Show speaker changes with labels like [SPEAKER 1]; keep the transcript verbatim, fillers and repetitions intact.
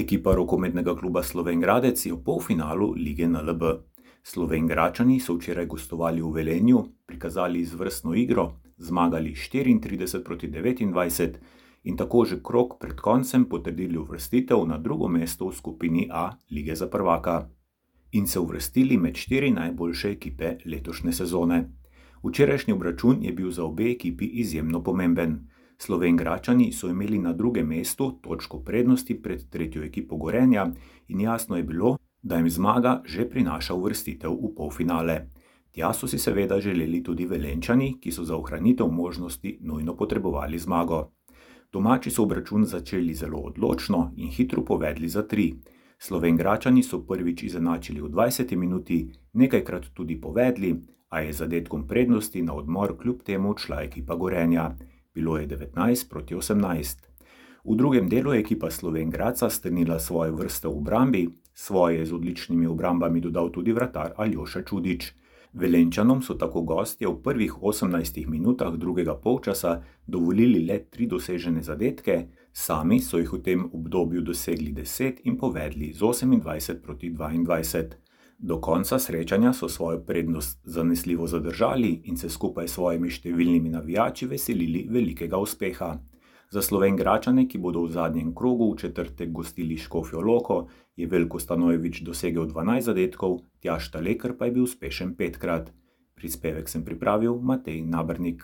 [SPEAKER 1] Ekipa rokometnega kluba Slovenj Gradec je v polfinalu lige N L B. Slovenjgračani so včeraj gostovali v Velenju, prikazali izvrstno igro, zmagali štiriintrideset proti devetindvajset in tako že krog pred koncem potrdili uvrstitev na drugo mesto v skupini A lige za prvaka in se uvrstili med štiri najboljše ekipe letošnje sezone. Včerajšnji obračun je bil za obe ekipi izjemno pomemben. Slovenjgračani so imeli na drugem mestu točko prednosti pred tretjo ekipo Gorenja in jasno je bilo, da jim zmaga že prinaša uvrstitev v polfinale. Tja so si seveda želeli tudi Velenjčani, ki so za ohranitev možnosti nujno potrebovali zmago. Domači so obračun začeli zelo odločno in hitro povedli za tri. Slovenjgračani so prvič izenačili v dvajseti minuti, nekajkrat tudi povedli, a je zadetkom prednosti na odmor kljub temu odšla ekipa Gorenja. Bilo je devetnajst proti osemnajst. V drugem delu je ekipa Slovenj Gradca strnila svoje vrste v obrambi, svoje je z odličnimi obrambami dodal tudi vratar Aljoša Čudič. Velenjčanom so tako gostje v prvih osemnajstih minutah drugega polčasa dovolili le tri dosežene zadetke, sami so jih v tem obdobju dosegli deset in povedli z osemindvajset proti dvaindvajset. Do konca srečanja so svojo prednost zanesljivo zadržali in se skupaj s svojimi številnimi navijači veselili velikega uspeha. Za Slovenjgračane, ki bodo v zadnjem krogu v četrtek gostili Škofjo Loko, je Veljko Stanojević dosegel dvanajst zadetkov, Tjaž Talekar pa je bil uspešen petkrat. Prispevek sem pripravil Matej Nabernik.